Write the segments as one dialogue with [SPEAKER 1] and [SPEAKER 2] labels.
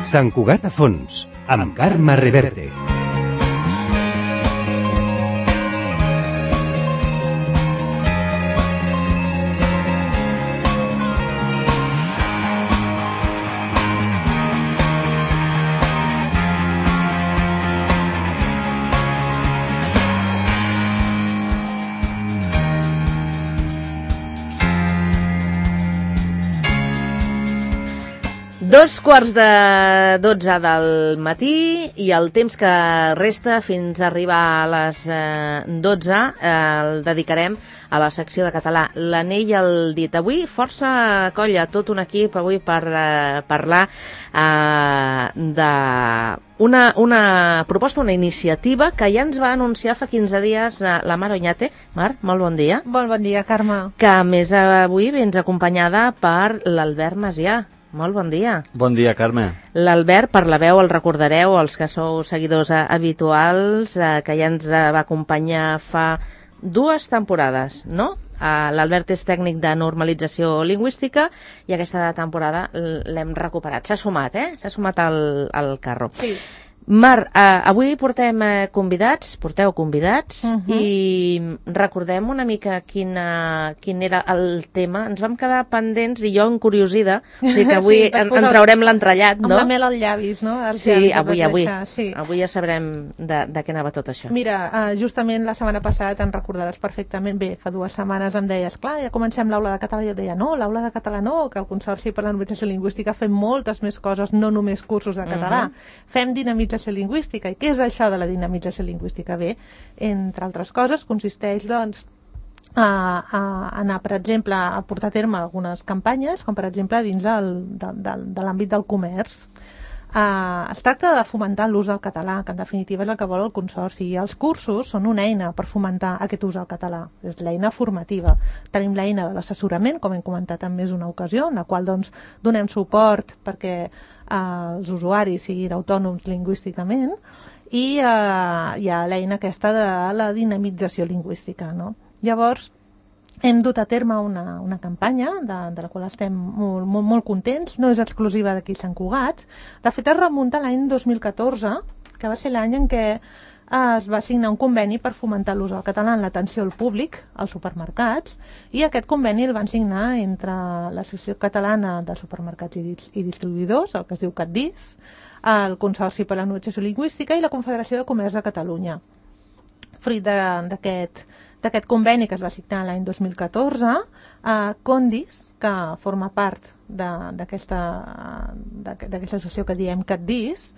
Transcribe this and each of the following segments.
[SPEAKER 1] Sant Cugat a fons, amb Carme Reverte.
[SPEAKER 2] Dos quarts de 12 del matí i el temps que resta fins a arribar a les 12 el dedicarem a la secció de català. L'anell al dit. Avui força colla, tot un equip avui per parlar de una proposta, una iniciativa que ja ens va anunciar fa 15 dies la Mar Oñate. Mar, molt bon dia.
[SPEAKER 3] Molt bon dia, Carme.
[SPEAKER 2] Que a més avui vens acompanyada per l'Albert Macià. Molt bon dia.
[SPEAKER 4] Bon dia, Carme.
[SPEAKER 2] L'Albert, per la veu, el recordareu, els que sou seguidors habituals, que ja ens va acompanyar fa 2 temporades, no? L'Albert és tècnic de normalització lingüística i aquesta temporada l'hem recuperat. S'ha sumat, S'ha sumat al carro.
[SPEAKER 3] Sí.
[SPEAKER 2] Mar, avui porteu convidats i recordem una mica quin era el tema. Ens vam quedar pendents i jo encuriosida, o sigui que avui en traurem l'entrellat, no?
[SPEAKER 3] Amb la mel als llavis, no?
[SPEAKER 2] Sí, avui ja sabrem de què anava tot això.
[SPEAKER 3] Mira, justament la setmana passada te'n recordaràs perfectament, bé, fa 2 setmanes em deies, clar, ja comencem l'aula de català, i jo et deia, no, l'aula de català no, que el Consorci per la Normalització Lingüística fem moltes més coses, no només cursos de català. Fem dinamització lingüística. I què és això de la dinamització lingüística? Bé, entre altres coses, consisteix, doncs, a anar, per exemple, a portar a terme algunes campanyes, com per exemple dins de l'àmbit del comerç. Es tracta de fomentar l'ús del català, que en definitiva és el que vol el Consorci, i els cursos són una eina per fomentar aquest ús del català. És l'eina formativa. Tenim l'eina de l'assessorament, com hem comentat en més d'una ocasió, en la qual doncs, donem suport perquè els usuaris siguin autònoms lingüísticament, i hi ha l'eina aquesta de la dinamització lingüística, no? Llavors, hem dut a terme una campanya de la qual estem molt contents, no és exclusiva d'aquí Sant Cugat. De fet, es remunta a l'any 2014, que va ser l'any en què es va signar un conveni per fomentar l'ús del català en l'atenció al públic als supermercats, i aquest conveni el van signar entre l'Associació Catalana de Supermercats i Distribuïdors, el que es diu CatDis, el Consorci per a la Normalització Lingüística i la Confederació de Comerç de Catalunya. Fruit d'aquest conveni que es va signar l'any 2014, Condis, que forma part d'aquesta associació que diem CatDis,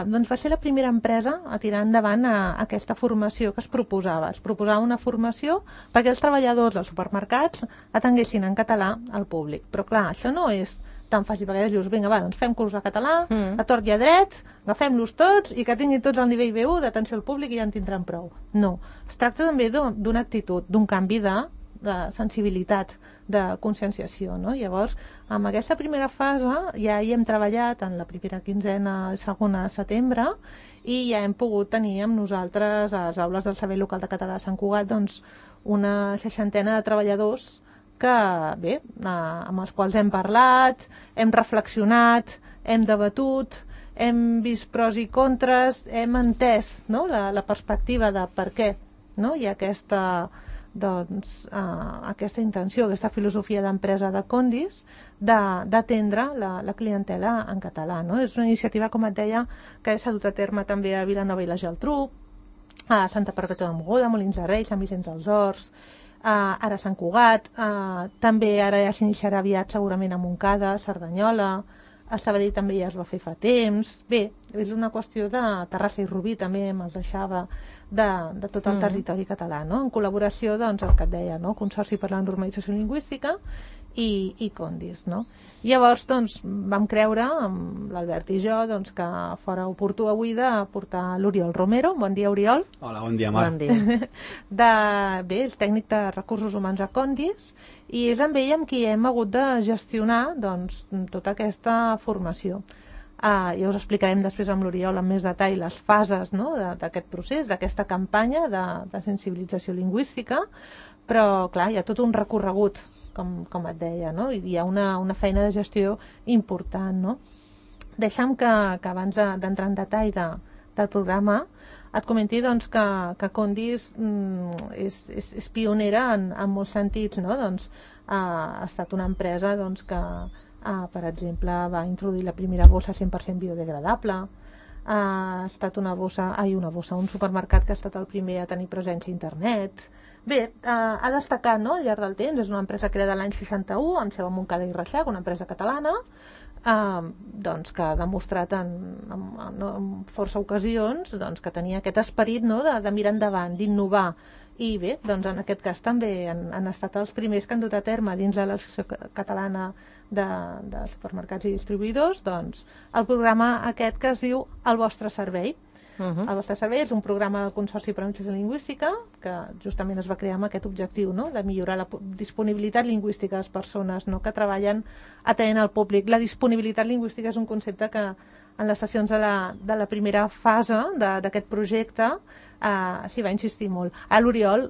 [SPEAKER 3] doncs va ser la primera empresa a tirar endavant aquesta formació que es proposava. Es proposava una formació perquè els treballadors dels supermercats atenguessin en català al públic. Però clar, això no és tan fàcil, perquè dius, vinga, va, doncs fem curs de català, a tort i a dret, agafem-los tots i que tinguin tots el nivell B1 d'atenció al públic i ja en tindran prou. No, es tracta també d'una actitud, d'un canvi de sensibilitat, de conscienciació, no? Llavors, amb aquesta primera fase ja hi hem treballat en la primera quinzena, segona de setembre, i ja hem pogut tenir amb nosaltres a les aules del Servei Local de Català de Sant Cugat doncs una 60ena de treballadors que, bé, amb els quals hem parlat, hem reflexionat, hem debatut, hem vist pros i contres, hem entès, no?, la perspectiva de per què, no?, hi ha aquesta intenció, aquesta filosofia d'empresa de Condis d'atendre la clientela en català, no? És una iniciativa, com et deia, que s'ha dut a terme també a Vilanova i la Geltrú, a Santa Perpètua de Mogoda, Molins de Rei, Sant Vicenç dels Horts, ara a Sant Cugat, també ara ja s'iniciarà aviat segurament a Montcada, a Cerdanyola, a Sabadell també ja es va fer fa temps. Bé, és una qüestió de Terrassa i Rubí, també me'ls deixava, de tot el territori català, no? En col·laboració, doncs, el que et deia, no? Consorci per la Normalització Lingüística i Condis, no? Llavors, doncs, vam creure, amb l'Albert i jo, doncs, que fora oportú avui de portar l'Oriol Romero. Bon dia, Oriol.
[SPEAKER 4] Hola, bon dia, Mar.
[SPEAKER 2] Bon dia.
[SPEAKER 3] Bé, és tècnic de recursos humans a Condis, i és amb ell amb qui hem hagut de gestionar, doncs, tota aquesta formació. Ja us explicarem després amb l'Oriol amb més detall les fases, no?, d'aquest procés, d'aquesta campanya de sensibilització lingüística, però clar, hi ha tot un recorregut, com et deia, no? I hi ha una feina de gestió important, no? Deixa'm que abans d'entrar en detall del programa et comenti doncs, que Condis és pionera en molts sentits, no? Doncs, ha estat una empresa doncs, que, per exemple, va introduir la primera bossa 100% biodegradable, ha estat un supermercat que ha estat el primer a tenir presència a internet. Bé, ha destacat, no, al llarg del temps, és una empresa creada l'any 61, amb seu a Montcada i Reixac, una empresa catalana, doncs, que ha demostrat en força ocasions doncs, que tenia aquest esperit, no, de mirar endavant, d'innovar. I bé, doncs en aquest cas també han estat els primers que han dut a terme dins de l'Associació Catalana de Supermercats i Distribuïdors doncs, el programa aquest que es diu El vostre servei. El vostre servei és un programa del Consorci per a l'Administració Lingüística que justament es va crear amb aquest objectiu, no? De millorar la disponibilitat lingüística de les persones, no? Que treballen atenent al públic. La disponibilitat lingüística és un concepte que en les sessions de la primera fase d'aquest projecte s'hi va insistir molt. L'Oriol,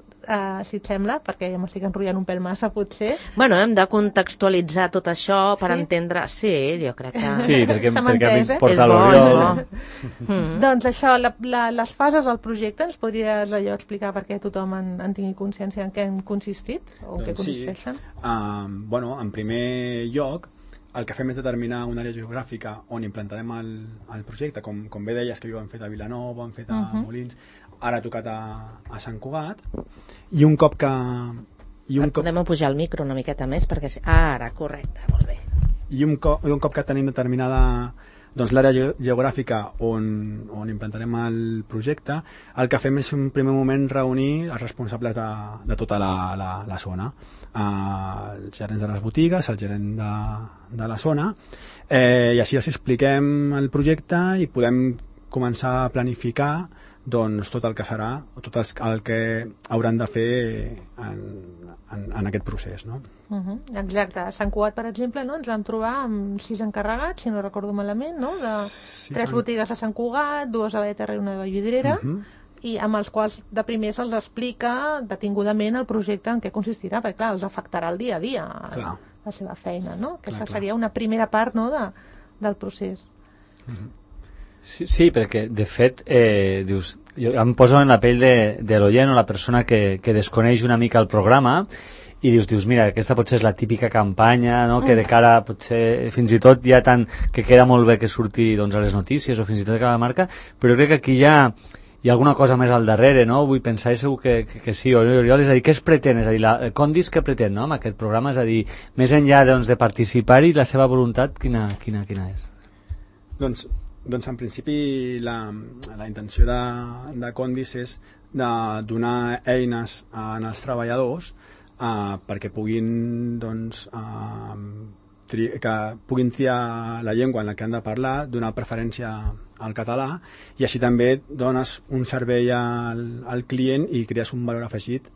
[SPEAKER 3] si et sembla, perquè ja m'estic enrotllant un pèl massa, potser...
[SPEAKER 2] Bueno, hem de contextualitzar tot això per entendre... Sí, jo crec que...
[SPEAKER 4] Sí, perquè
[SPEAKER 2] És
[SPEAKER 4] porta l'Oriol.
[SPEAKER 3] Doncs això, les fases del projecte, ens podries allò explicar perquè tothom en tingui consciència en què han consistit o en què consisteixen?
[SPEAKER 5] Bueno, en primer lloc, el que fem és determinar una àrea geogràfica on implantarem el projecte, com bé deies que ho han fet a Vilanova, han fet a Molins, ara ha tocat a Sant Cugat, i un cop que...
[SPEAKER 2] Podem pujar el micro una miqueta més perquè... Ara, correcte, molt bé.
[SPEAKER 5] I un cop que tenim determinada doncs, l'àrea geogràfica on implantarem el projecte, el que fem és un primer moment reunir els responsables de tota la zona, els gerents de les botigues, el gerent de la zona, i així els expliquem el projecte i podem començar a planificar doncs, tot el que serà, tot el que hauran de fer en aquest procés, no?
[SPEAKER 3] Exacte. A Sant Cugat, per exemple, no? Ens vam trobar amb 6 encarregats, si no recordo malament, no? De 3 botigues a Sant Cugat, 2 a Beterra i una de Vallvidrera, i amb els quals de primer se'ls explica detingudament el projecte en què consistirà, perquè clar, els afectarà el dia a dia la seva feina, no? Aquesta seria una primera part, no, del procés.
[SPEAKER 4] Sí, perquè de fet dius, jo em poso en la pell de l'oient o la persona que desconeix una mica el programa i dius, mira, aquesta potser és la típica campanya, no? Que de cara potser fins i tot ja tant que queda molt bé que surti doncs, a les notícies o fins i tot a cada marca, però crec que aquí hi ha alguna cosa més al darrere, no? Vull pensar i segur que sí, Oriol, és a dir, què es pretén? És a dir, Condis què pretén, no? Amb aquest programa, és a dir, més enllà doncs, de participar-hi, la seva voluntat quina és?
[SPEAKER 5] Doncs en principi la intenció de Condis és de donar eines als treballadors perquè puguin triar la llengua en la que han de parlar, donar preferència al català i així també dones un servei al client i crees un valor afegit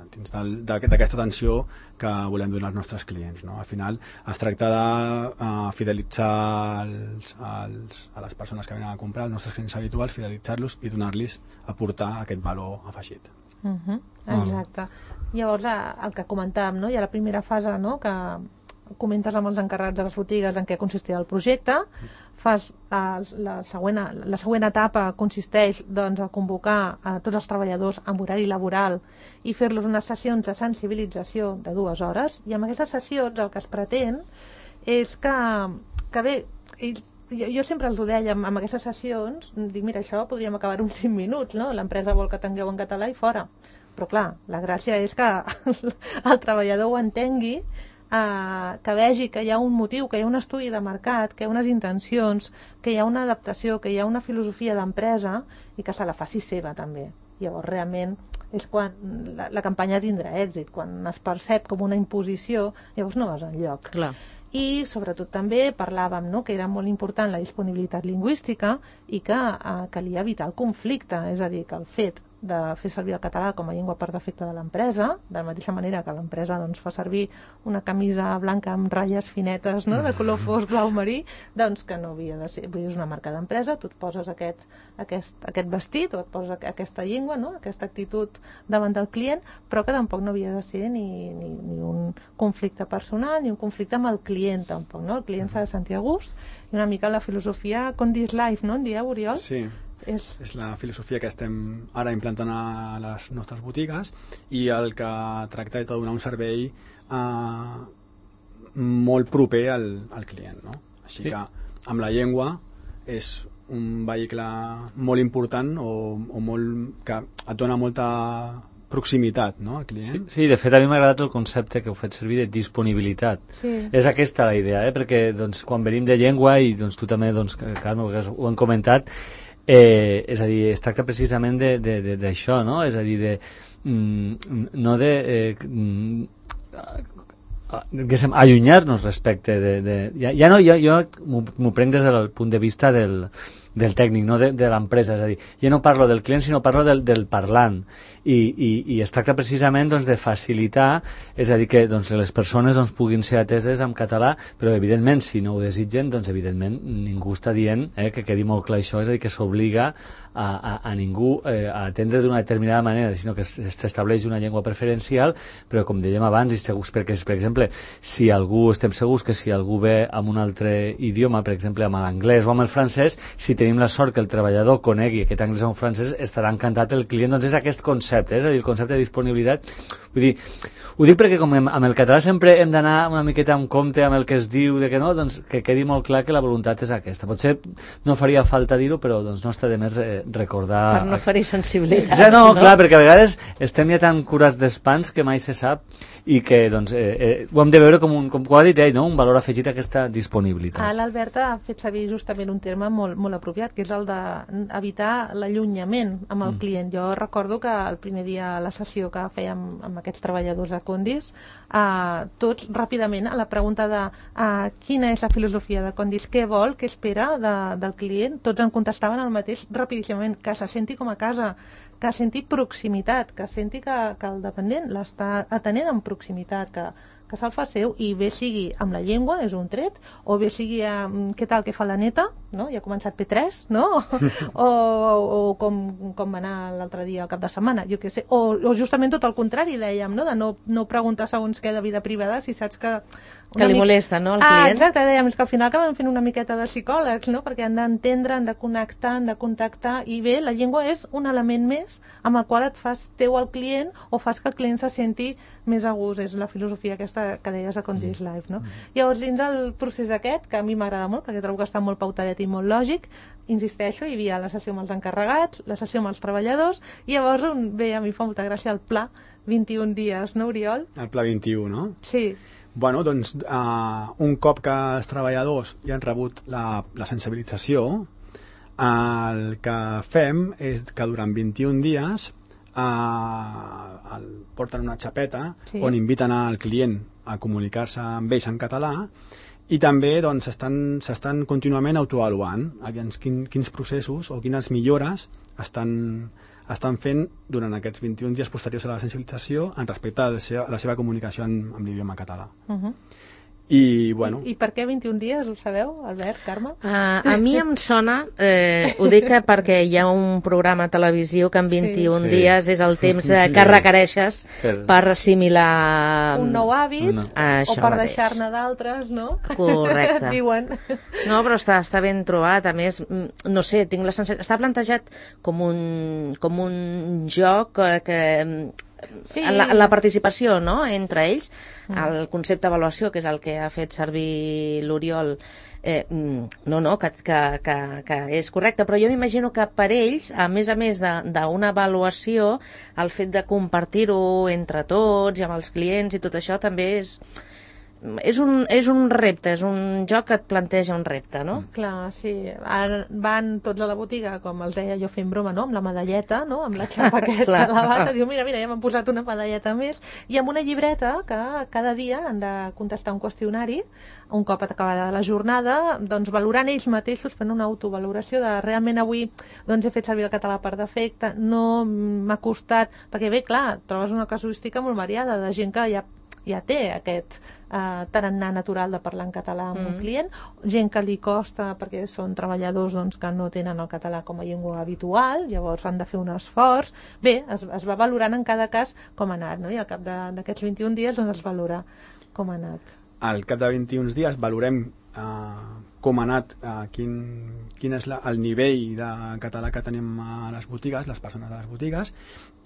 [SPEAKER 5] dins d'aquesta atenció que volem donar als nostres clients, no? Al final es tracta de fidelitzar a les persones que venen a comprar, els nostres clients habituals, fidelitzar-los i aportar aquest valor afegit.
[SPEAKER 3] Exacte. Llavors, el que comentàvem, no? Hi ha la primera fase, no? Que comentes amb els encarregats de les botigues en què consistirà el projecte, fas la següent etapa consisteix doncs, a convocar a tots els treballadors amb horari laboral i fer-los unes sessions de sensibilització de 2 hores, i amb aquestes sessions el que es pretén és que bé, jo sempre els ho deia amb aquestes sessions, dic, mira, això podríem acabar en 5 minuts, no? L'empresa vol que tingueu en català i fora, però clar, la gràcia és que el treballador ho entengui, que vegi que hi ha un motiu, que hi ha un estudi de mercat, que hi ha unes intencions, que hi ha una adaptació, que hi ha una filosofia d'empresa i que se la faci seva també. Llavors realment és quan la campanya tindrà èxit, quan es percep com una imposició, llavors no vas enlloc.
[SPEAKER 2] Clar.
[SPEAKER 3] I sobretot també parlàvem, no?, que era molt important la disponibilitat lingüística i que calia evitar el conflicte, és a dir, que el fet de fer servir el català com a llengua per defecte de l'empresa, de la mateixa manera que l'empresa doncs, fa servir una camisa blanca amb ratlles finetes, no?, de color fosc blau marí, doncs que no havia de ser, vull dir, és una marca d'empresa, tu et poses aquest vestit o et poses aquesta llengua, no?, aquesta actitud davant del client, però que tampoc no havia de ser ni un conflicte personal ni un conflicte amb el client tampoc, no? El client s'ha de sentir a gust i una mica la filosofia Condis Life, no en dieu, Oriol?
[SPEAKER 5] Sí. És la filosofia que estem ara implantant a les nostres botigues i el que tracta és de donar un servei molt proper al client, no? Així que amb la llengua és un vehicle molt important o molt, que et dona molta proximitat, no, al client.
[SPEAKER 4] Sí, de fet a mi m'ha agradat el concepte que heu fet servir de disponibilitat.
[SPEAKER 3] Sí.
[SPEAKER 4] És aquesta la idea, perquè doncs, quan venim de llengua i doncs, tu també, doncs, Carme, ho hem comentat, és a dir, es tracta precisament d'això, no? És a dir, no de allunyar-nos respecte ja no, jo m'ho prenc des del punt de vista del tècnic, no de l'empresa, és a dir, jo no parlo del client sinó parlo del parlant i es tracta precisament doncs, de facilitar, és a dir, que doncs, les persones doncs, puguin ser ateses en català, però evidentment si no ho desitgen, doncs evidentment ningú està dient, que quedi molt clar això, és a dir, que s'obliga a ningú a atendre d'una determinada manera, sinó que s'estableix una llengua preferencial, però com dèiem abans, i segurs, perquè, per exemple, si algú, estem segurs que si algú ve amb un altre idioma, per exemple, amb l'anglès o amb el francès, si tenim la sort que el treballador conegui aquest anglès o un francès, estarà encantat el client, doncs és aquest concepte, és a dir, el concepte de disponibilitat. Vull dir, ho dic perquè com amb el català sempre hem d'anar una miqueta en compte amb el que es diu, de que no, doncs que quedi molt clar que la voluntat és aquesta. Potser no faria falta dir-ho, però doncs no està de més recordar...
[SPEAKER 2] Per no ferir sensibilitats,
[SPEAKER 4] ja no? Clar, perquè a vegades estem ja tan curats d'espans que mai se sap i que doncs, ho hem de veure com ho ha dit ell, no? Un valor afegit a aquesta disponibilitat.
[SPEAKER 3] L'Albert ha fet servir justament un terme molt apropiat, que és el d'evitar l'allunyament amb el client. Jo recordo que el primer dia a la sessió que fèiem amb aquests treballadors de Condis, tots ràpidament a la pregunta de quina és la filosofia de Condis, què vol, què espera del client, tots en contestaven el mateix rapidíssimament, que se senti com a casa, que senti proximitat, que senti que el dependent l'està atenent en proximitat, que se'l fa seu, i bé sigui amb la llengua, és un tret, o bé sigui què tal que fa la neta, no? Ja ha començat P3, no? o com va anar l'altre dia al cap de setmana, jo què sé, o justament tot el contrari, dèiem, no? De no preguntar segons què de vida privada si saps que
[SPEAKER 2] li molesta, no, al client?
[SPEAKER 3] Exacte, dèiem, és que al final acaben fent una miqueta de psicòlegs, no? Perquè han d'entendre, han de connectar, han de contactar, i bé, la llengua és un element més amb el qual et fas teu al client o fas que el client se senti més a gust, és la filosofia aquesta que deies a Condis Life, no? Llavors, dins el procés aquest, que a mi m'agrada molt, perquè trobo que està molt pautadet i molt lògic, insisteixo, hi havia la sessió amb els encarregats, la sessió amb els treballadors, i llavors, bé, a mi fa molta gràcia el pla 21 dies, no, Oriol?
[SPEAKER 5] El pla 21, no?
[SPEAKER 3] Sí.
[SPEAKER 5] Bueno, doncs, un cop que els treballadors ja han rebut la sensibilització, el que fem és que durant 21 dies porten una xapeta on inviten al client a comunicar-se amb ells en català i també doncs, s'estan contínuament autoavaluant quins processos o quines millores estan fent durant aquests 21 dies posteriors a la sensibilització en respecte a la seva comunicació amb l'idioma català. I, bueno...
[SPEAKER 3] I per què 21 dies, ho sabeu, Albert, Carme?
[SPEAKER 2] A mi em sona, ho dic perquè hi ha un programa a televisió que en 21 dies és el temps que requereixes per assimilar...
[SPEAKER 3] Un nou hàbit, o per deixar-ne d'altres, no?
[SPEAKER 2] Correcte.
[SPEAKER 3] Diuen.
[SPEAKER 2] No, però està ben trobat. A més, no sé, tinc la sensació... Està plantejat com un joc que... Sí. La participació, no?, entre ells, el concepte d'avaluació, que és el que ha fet servir l'Oriol, que és correcte, però jo m'imagino que per ells, a més d'una avaluació, el fet de compartir-ho entre tots i amb els clients i tot això també és és un repte, és un joc que et planteja un repte, no?
[SPEAKER 3] Clar, sí. Ara van tots a la botiga, com els deia jo fent broma, no? Amb la medalleta, no? Amb la xapa aquesta a la bata. Diu, mira, ja m'han posat una medalleta més. I amb una llibreta que cada dia han de contestar un qüestionari, un cop acabada la jornada, doncs valorant ells mateixos, fent una autovaloració de realment avui doncs he fet servir el català per defecte, no m'ha costat... Perquè bé, clar, trobes una casuística molt variada de gent que ja té aquest tarannà natural de parlar en català amb un client, gent que li costa perquè són treballadors doncs, que no tenen el català com a llengua habitual, llavors han de fer un esforç. Bé, es va valorant en cada cas com ha anat, no? I al cap d'aquests 21 dies doncs, es valora com ha anat.
[SPEAKER 5] Al cap de 21 dies valorem com ha anat, quin és el nivell de català que tenim a les botigues, les persones de les botigues,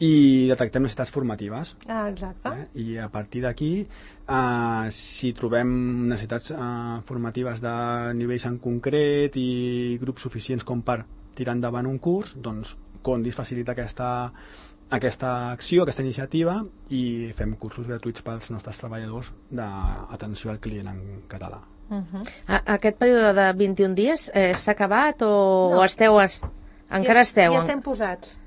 [SPEAKER 5] i detectem necessitats formatives.
[SPEAKER 3] Exacte.
[SPEAKER 5] I a partir d'aquí, si trobem necessitats formatives de nivells en concret i grups suficients com per tirar endavant un curs, doncs Condis facilita aquesta acció, aquesta iniciativa, i fem cursos gratuïts pels nostres treballadors d'atenció al client en català.
[SPEAKER 2] Aquest període de 21 dies s'ha acabat o esteu... Encara esteu?
[SPEAKER 3] Ja estem posats.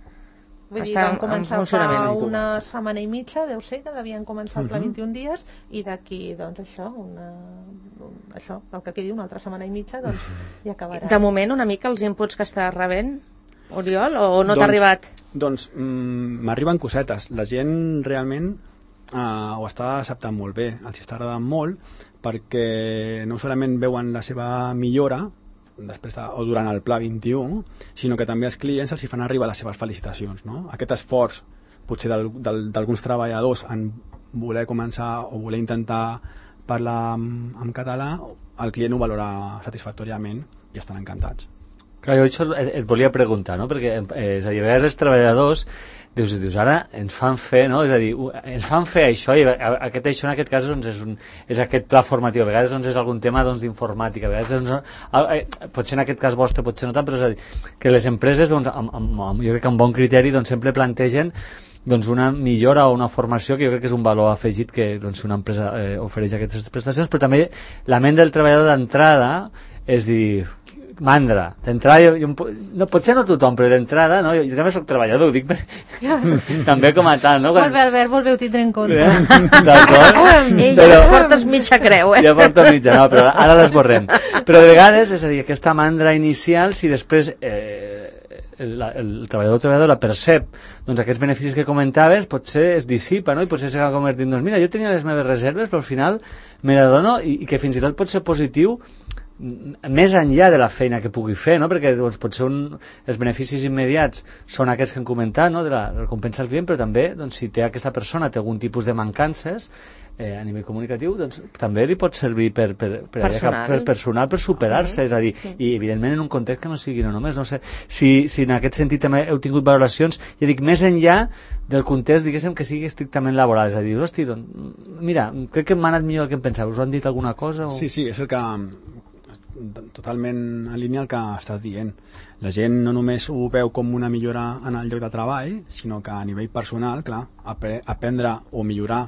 [SPEAKER 3] Vull dir, vam començar fa una setmana i mitja, deu ser que devien començar el pla 21 dies, i d'aquí, doncs això, el que quedi una altra setmana i mitja, doncs ja acabarà.
[SPEAKER 2] De moment, una mica els inputs que estàs rebent, Oriol, o no t'ha arribat?
[SPEAKER 5] Doncs m'arriben cosetes. La gent realment ho està acceptant molt bé, els està agradant molt, perquè no solament veuen la seva millora després o durant el pla 21, sinó que també els clients els hi fan arribar les seves felicitacions, no? Aquest esforç potser d'alguns treballadors en voler començar o voler intentar parlar en català, el client ho valora satisfactòriament i estan encantats.
[SPEAKER 4] Clar, jo això et volia preguntar, no? Perquè és a dir, a vegades els treballadors dius, ara ens fan fer, no? És a dir, ens fan fer això, i això en aquest cas doncs, és aquest pla formatiu, a vegades doncs, és algun tema doncs, d'informàtica, a vegades doncs, potser en aquest cas vostre, potser no tant, però és a dir, que les empreses, doncs, jo crec que amb bon criteri, doncs, sempre plantegen doncs, una millora o una formació que jo crec que és un valor afegit que doncs, una empresa ofereix aquestes prestacions, però també la ment del treballador d'entrada és dir, mandra, d'entrada no, potser no tothom, però d'entrada no? Jo també soc treballador, ho dic també com a tal, no?
[SPEAKER 3] Molt bé, Albert, molt bé, ho tindré en compte.
[SPEAKER 2] D'acord? Ja portes mitja creu,
[SPEAKER 4] Ja porto mitja, no, però ara l'esborrem. Però de vegades, és a dir, aquesta mandra inicial, si després el treballador o treballadora percep doncs, aquests beneficis que comentaves, potser es dissipa, no? I potser s'acaba convertint, doncs mira, jo tenia les meves reserves, però al final me l'adono, i que fins i tot pot ser positiu més enllà de la feina que pugui fer, no? Perquè doncs, potser els beneficis immediats són aquests que hem comentat, no? De la recompensa al client, però també doncs, si té aquesta persona té algun tipus de mancances a nivell comunicatiu, doncs també li pot servir per personal, per superar-se, és a dir, i evidentment en un context que no sigui no només, no sé, si en aquest sentit també heu tingut valoracions, ja dic, més enllà del context, diguéssim, que sigui estrictament laboral, és a dir, hosti, doncs, mira, crec que m'ha anat millor del que em pensava, us ho han dit alguna cosa? O...
[SPEAKER 5] Sí, és el que totalment en línia el que estàs dient. La gent no només ho veu com una millora en el lloc de treball, sinó que a nivell personal, clar, aprendre o millorar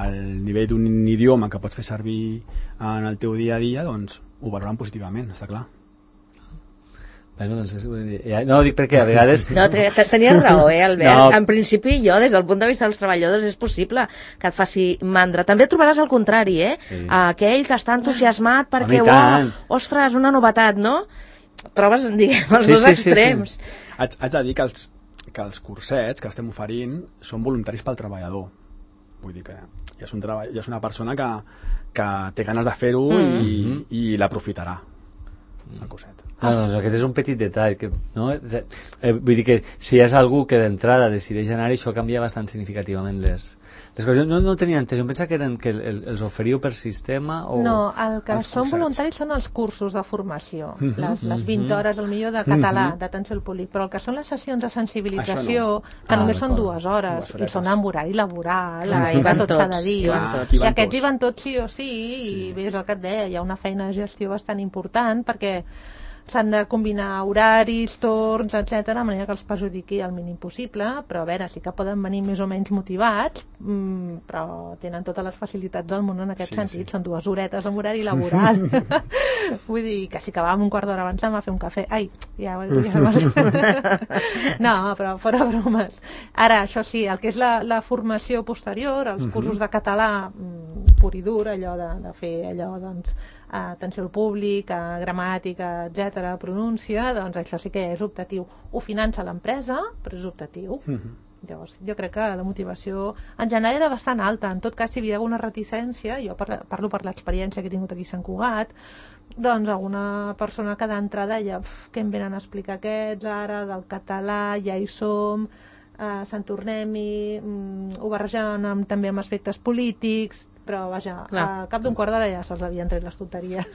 [SPEAKER 5] el nivell d'un idioma que pots fer servir en el teu dia a dia, doncs ho valoren positivament, està clar.
[SPEAKER 4] Bueno, doncs, no ho dic perquè a vegades...
[SPEAKER 2] No, tenies raó, Albert. No. En principi, jo, des del punt de vista dels treballadors, és possible que et faci mandra. També trobaràs el contrari, Sí. Aquell que està entusiasmat perquè, ostres, una novetat, no? Trobes, diguem, els dos extrems.
[SPEAKER 5] Sí. Haig de dir que els cursets que estem oferint són voluntaris pel treballador. Vull dir que ja és una persona que té ganes de fer-ho i l'aprofitarà, el curset.
[SPEAKER 4] No, doncs aquest és un petit detall que, no? Vull dir que si és algú que d'entrada decideix anar, això canvia bastant significativament les coses. No tenia entès, jo em pensava que els oferiu per sistema o...
[SPEAKER 3] No, el que són voluntaris són els cursos de formació, les 20 hores al millor de català, d'atenció al públic, però el que són les sessions de sensibilització, que només són 2 hores, i són amb horari laboral,
[SPEAKER 2] i van tots,
[SPEAKER 3] cada dia, i aquests hi van tots sí o sí, i bé, és el que et deia, hi ha una feina de gestió bastant important, perquè s'han de combinar horaris, torns, etc, de manera que els perjudiqui el mínim possible, però a veure, sí que poden venir més o menys motivats, però tenen totes les facilitats del món en aquest sentit, són 2 horetes amb horari laboral. Vull dir que si acabàvem un quart d'hora abans d'anar a fer un cafè, no, però fora bromes. Ara, això sí, el que és la formació posterior, els cursos de català pur i dur, allò de fer allò, doncs, atenció al públic, gramàtica, etc, pronúncia, doncs això sí que és optatiu. Ho finança l'empresa, però és optatiu. Llavors, jo crec que la motivació en general era bastant alta. En tot cas, si hi havia alguna reticència, jo parlo per l'experiència que he tingut aquí a Sant Cugat, doncs alguna persona que d'entrada deia què em venen a explicar aquests ara, del català, ja hi som, se'n tornem-hi, ho barregen també amb aspectes polítics, però vaja, a cap d'un quart d'hora ja se'ls havien tret les tonteries.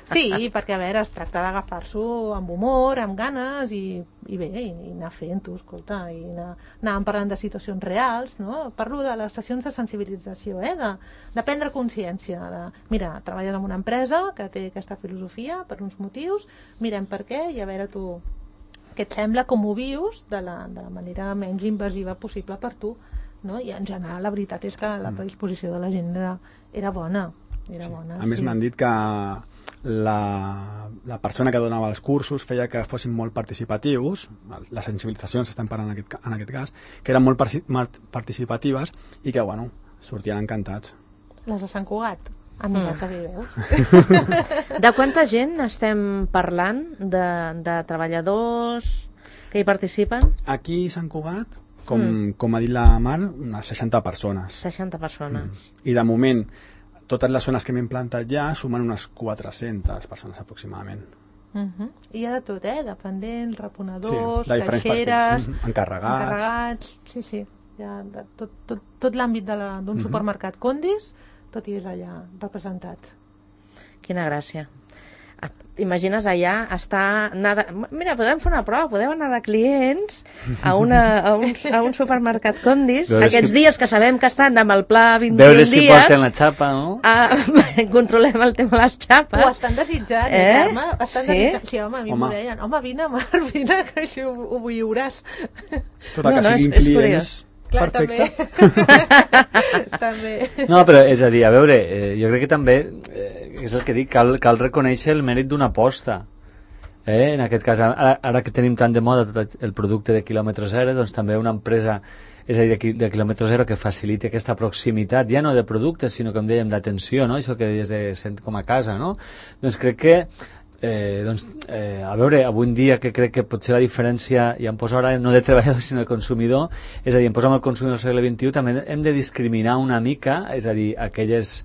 [SPEAKER 3] Sí, perquè a veure, es tracta d'agafar-s'ho amb humor, amb ganes i bé, i anar fent-ho, escolta, i anar parlant de situacions reals, no? Parlo de les sessions de sensibilització, de prendre consciència, mira, treballes en una empresa que té aquesta filosofia per uns motius, mirem per què i a veure tu què et sembla, com ho vius de la manera menys invasiva possible per tu. No? I en general la veritat és que la predisposició de la gent era bona. A
[SPEAKER 5] més m'han dit que la persona que donava els cursos feia que fossin molt participatius, les sensibilitzacions estem parlant en aquest cas, que eren molt participatives i que bueno, sortien encantats.
[SPEAKER 3] Les de Sant Cugat? Mira que bé veus.
[SPEAKER 2] De quanta gent estem parlant? De treballadors que hi participen?
[SPEAKER 5] Aquí a Sant Cugat, com ha dit la Mar, unes 60 persones.
[SPEAKER 2] 60 persones.
[SPEAKER 5] I de moment, totes les zones que hem implantat ja sumen unes 400 persones aproximadament.
[SPEAKER 3] I hi ha de tot, dependents, reponedors,
[SPEAKER 5] caixeres, encarregats.
[SPEAKER 3] Sí. Hi ha tot l'àmbit d'un supermercat Condis, tot hi és allà representat.
[SPEAKER 2] Quina gràcia. T'imagines allà mira, podem fer una prova, podem anar de clients a un supermercat Condis aquests dies que sabem que estan amb el pla 21 dies,
[SPEAKER 4] veure si porten la xapa, no?
[SPEAKER 2] Controlem el tema de les xapes.
[SPEAKER 3] Ho estan desitjant, Carme? Desitjant. Sí, home, a mi m'ho deien, vine, Mar, vine, que així ho viuràs.
[SPEAKER 5] Tot el que siguin clients.
[SPEAKER 3] Clar,
[SPEAKER 5] perfecte.
[SPEAKER 3] També.
[SPEAKER 4] No, però és a dir, a veure, jo crec que també és el que dic, cal reconèixer el mèrit d'una aposta. En aquest cas, ara que tenim tant de moda tot el producte de quilòmetre zero, doncs també una empresa, és a dir, de quilòmetre zero, que faciliti aquesta proximitat, ja no de productes, sinó, com dèiem, d'atenció, no? Això que deies de sent com a casa, no? Doncs crec que a veure, avui en dia que crec que potser la diferència, ja em poso ara no de treballador sinó de consumidor, és a dir, em poso amb el consumidor del segle XXI, també hem de discriminar una mica, és a dir, aquelles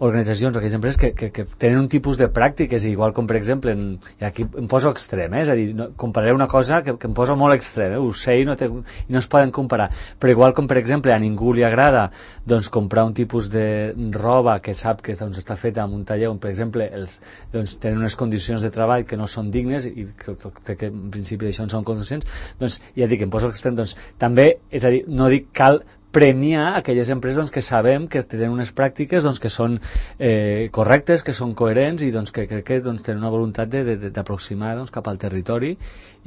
[SPEAKER 4] organitzacions o aquelles empreses que tenen un tipus de pràctiques, igual com per exemple i aquí em poso extrem, és a dir, compararé una cosa que em poso molt extrem, ho sé i no es poden comparar, però igual com per exemple a ningú li agrada doncs comprar un tipus de roba que sap que doncs, està feta en un taller on per exemple doncs, tenen unes condicions de treball que no són dignes i crec que en principi d'això en són conscients, doncs ja dic, em poso extrem, doncs també, és a dir, no dic cal premiar aquelles empreses doncs, que sabem que tenen unes pràctiques doncs, que són correctes, que són coherents i doncs, que crec que doncs, tenen una voluntat d'aproximar doncs, cap al territori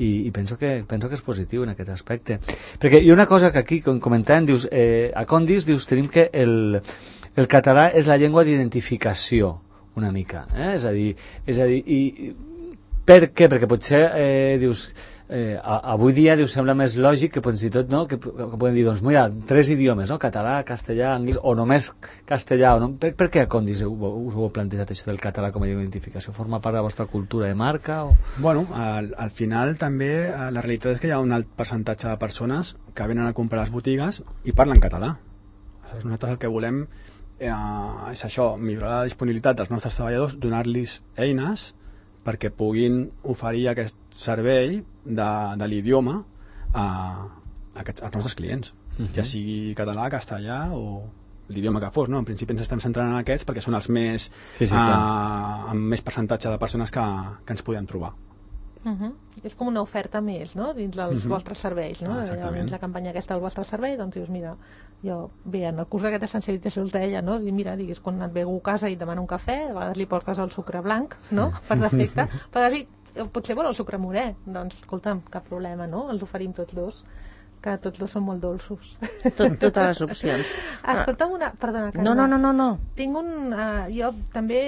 [SPEAKER 4] i penso que és positiu en aquest aspecte. Perquè hi ha una cosa que aquí comentàvem, dius, a Condis dius, tenim que el català és la llengua d'identificació una mica, és a dir, i per què? Perquè potser dius avui dia sembla més lògic que fins i tot no? que podem dir, doncs mira, 3 idiomes, no? Català, castellà, anglès, o només castellà, o no? Per què a Condis us ho heu plantejat això del català com a identificació? Forma part de la vostra cultura de marca? O?
[SPEAKER 5] Bueno, al final també la realitat és que hi ha un alt percentatge de persones que venen a comprar a les botigues i parlen català. Nosaltres el que volem és això, millorar la disponibilitat dels nostres treballadors, donar-los eines perquè puguin oferir aquest servei de l'idioma als nostres clients, ja sigui català, castellà o l'idioma que fos, no? En principi ens estem centrant en aquests perquè són els més amb més percentatge de persones que ens podem trobar.
[SPEAKER 3] És com una oferta més, no?, dins dels vostres serveis, no? Dins la campanya aquesta del vostre servei, doncs dius, mira, jo, bé, en el curs d'aquest de sensibilització us deia, no?, mira, digues, quan et ve algú a casa i et demana un cafè, a vegades li portes el sucre blanc, no?, per defecte, però potser vol el sucre morè, doncs, escolta'm, cap problema, no?, els oferim tots dos, que tots dos són molt dolços.
[SPEAKER 2] Totes les opcions.
[SPEAKER 3] Escolta'm una... Perdona, Carme.
[SPEAKER 2] No.
[SPEAKER 3] Tinc jo també,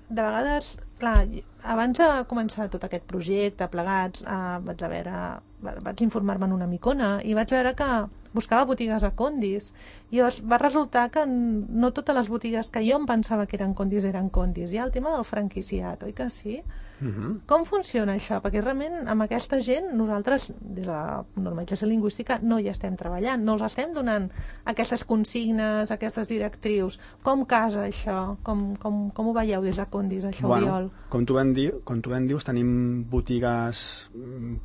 [SPEAKER 3] de vegades, clar, abans de començar tot aquest projecte, plegats, vaig informar-me en una micona i vaig veure que buscava botigues a Condis i va resultar que no totes les botigues que jo em pensava que eren Condis. Hi ha el tema del franquiciat, oi que sí? Com funciona això? Perquè realment amb aquesta gent nosaltres, des de la normalització lingüística, no hi estem treballant, no els estem donant aquestes consignes, aquestes directrius. Com casa això? Com ho veieu des de Condis, això, Oriol?
[SPEAKER 5] Com tu ben dius, tenim botigues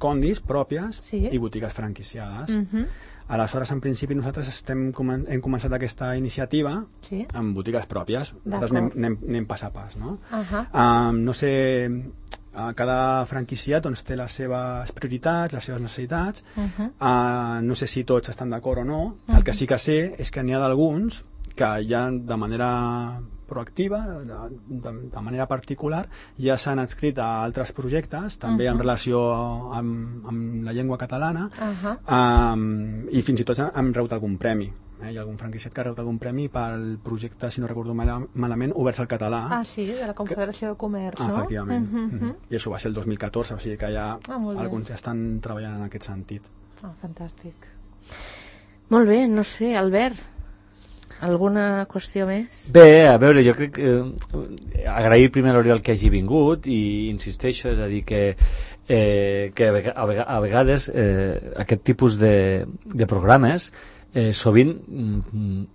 [SPEAKER 5] Condis pròpies i botigues franquiciades. Aleshores, en principi, nosaltres hem començat aquesta iniciativa amb botigues pròpies. Nosaltres anem pas a pas, no? No sé, cada franquiciat doncs, té les seves prioritats, les seves necessitats. No sé si tots estan d'acord o no. El que sí que sé és que n'hi ha d'alguns que ja de manera proactiva, de manera particular, ja s'han adscrit a altres projectes, també en relació amb la llengua catalana, i fins i tot han rebut algun premi. Hi ha algun franquiciat que ha rebut algun premi pel projecte, si no recordo malament, Oberts al Català.
[SPEAKER 3] Sí, de la Confederació de Comerç, no?
[SPEAKER 5] Efectivament. I això va ser el 2014, o sigui que ja alguns ja estan treballant en aquest sentit.
[SPEAKER 3] Fantàstic.
[SPEAKER 2] Molt bé, no sé, Albert, alguna qüestió més?
[SPEAKER 4] Bé, a veure, jo crec que agrair primer a l'Oriol que hagi vingut i insisteixo, és a dir que a vegades aquest tipus de programes sovint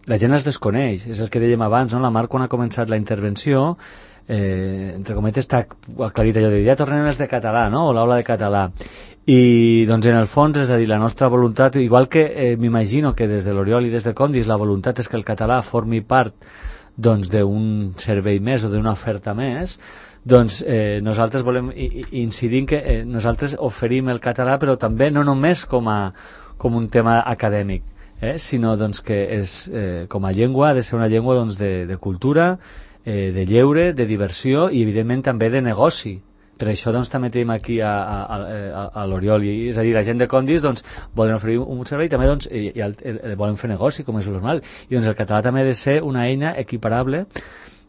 [SPEAKER 4] la gent els desconeix, és el que dèiem abans, no? La Mar, quan ha començat la intervenció, entre cometes t'ha aclarit allò de ja tornem els de català, no? O l'aula de català, i doncs en el fons, és a dir, la nostra voluntat, igual que m'imagino que des de l'Oriol i des de Condis la voluntat és que el català formi part doncs d'un servei més o d'una oferta més, doncs nosaltres volem incidir en que nosaltres oferim el català, però també no només com un tema acadèmic, sinó doncs, que és, com a llengua ha de ser una llengua doncs, de cultura, de lleure, de diversió i evidentment també de negoci. Per això doncs, també tenim aquí a l'Oriol, és a dir, la gent de Condis doncs, volen oferir un servei i també doncs, volen fer negoci, com és normal, i doncs, el català també ha de ser una eina equiparable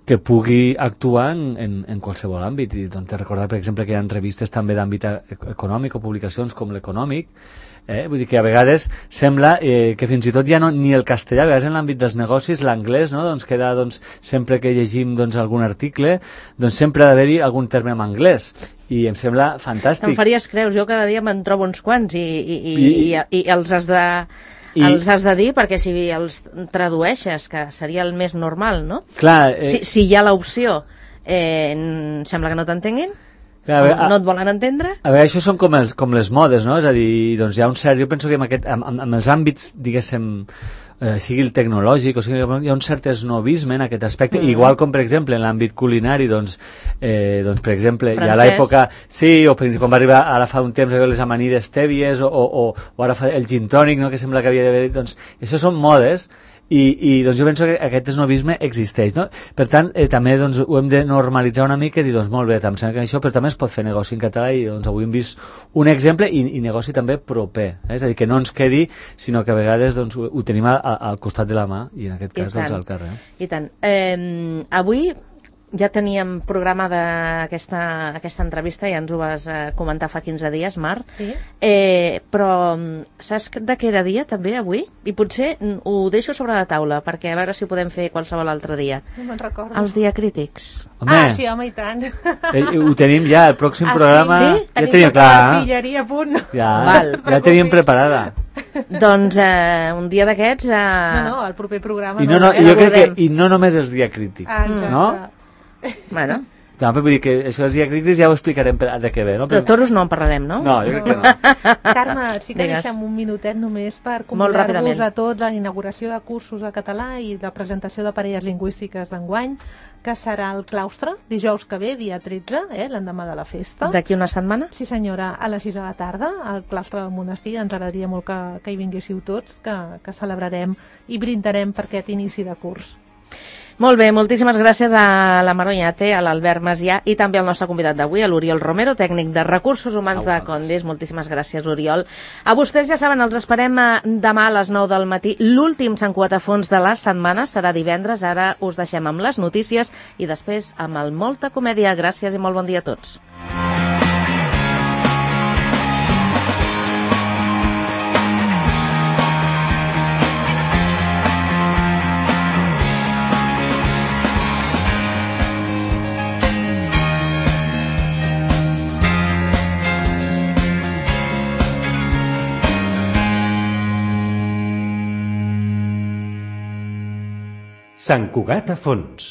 [SPEAKER 4] que pugui actuar en qualsevol àmbit. I doncs, recordar, per exemple, que hi ha revistes també d'àmbit econòmic o publicacions com l'Econòmic. Vull dir que a vegades sembla que fins i tot ja no, ni el castellà, a vegades en l'àmbit dels negocis l'anglès, no? Doncs queda, doncs, sempre que llegim doncs, algun article, doncs sempre ha d'haver-hi algun terme en anglès i em sembla fantàstic.
[SPEAKER 2] Te'n faries creus, jo cada dia me'n trobo uns quants i els has de dir, perquè si els tradueixes, que seria el més normal, no?
[SPEAKER 4] Clar,
[SPEAKER 2] si hi ha l'opció, sembla que no t'entenguin, no et volen entendre?
[SPEAKER 4] A veure, això són com les modes, no? És a dir, doncs hi ha un cert... Jo penso que amb els àmbits, diguéssim, sigui el tecnològic o sigui, hi ha un cert esnovisme en aquest aspecte, igual com per exemple en l'àmbit culinari, doncs per exemple hi ha l'època, sí, o per exemple, quan va arribar ara fa un temps les amanides tèbies o ara fa el gin tònic, no? Que sembla que havia d'haver, doncs això són modes i doncs jo penso que aquest esnovisme existeix, no? Per tant, també doncs, ho hem de normalitzar una mica i dir, doncs molt bé, em sembla que això, però també es pot fer negoci en català i doncs avui hem vist un exemple i negoci també proper, és a dir, que no ens quedi, sinó que a vegades doncs, ho tenim al costat de la mà i en aquest cas doncs, al carrer.
[SPEAKER 2] I tant. Avui ja teníem programada aquesta entrevista, ja ens ho vas comentar fa 15 dies, Mar, però saps de què era dia també avui? I potser ho deixo sobre la taula, perquè a veure si ho podem fer qualsevol altre dia.
[SPEAKER 3] No me'n recordo.
[SPEAKER 2] Els diacrítics.
[SPEAKER 3] Sí, home, i tant.
[SPEAKER 4] Ho tenim ja, el pròxim programa...
[SPEAKER 3] Sí?
[SPEAKER 4] Ja tenim clar.
[SPEAKER 3] L'artilleria a punt.
[SPEAKER 4] Ja tenim preparada.
[SPEAKER 2] Doncs un dia d'aquests...
[SPEAKER 3] No, el proper programa...
[SPEAKER 4] Jo crec que no només els diacrítics, no?
[SPEAKER 2] Bueno,
[SPEAKER 4] No, però vull dir que això dels diacrítics ja ho explicarem de què ve, no?
[SPEAKER 2] De toros no en parlarem, no?
[SPEAKER 4] No, jo crec que no.
[SPEAKER 3] Carme, sí que
[SPEAKER 2] Digues.
[SPEAKER 3] deixem un minutet només per
[SPEAKER 2] Molt
[SPEAKER 3] convidar-vos
[SPEAKER 2] ràpidament.
[SPEAKER 3] a tots a la inauguració de cursos de català i de presentació de parelles lingüístiques d'enguany, que serà al claustre, dijous que ve, dia 13, l'endemà de la festa.
[SPEAKER 2] D'aquí una setmana?
[SPEAKER 3] Sí senyora, a les 6 de la tarda, al claustre del monestir. Ens agradaria molt que hi vinguéssiu tots, que celebrarem i brindarem per aquest inici de curs.
[SPEAKER 2] Molt bé, moltíssimes gràcies a la Maroñate, a l'Albert Macià i també al nostre convidat d'avui, a l'Oriol Romero, tècnic de Recursos Humans de Condis. Moltíssimes gràcies, Oriol. A vostès, ja saben, els esperem demà a les 9 del matí. L'últim Sant Cuatafons de la setmana serà divendres. Ara us deixem amb les notícies i després amb el Molta Comèdia. Gràcies i molt bon dia a tots.
[SPEAKER 1] Sant Cugat a fons.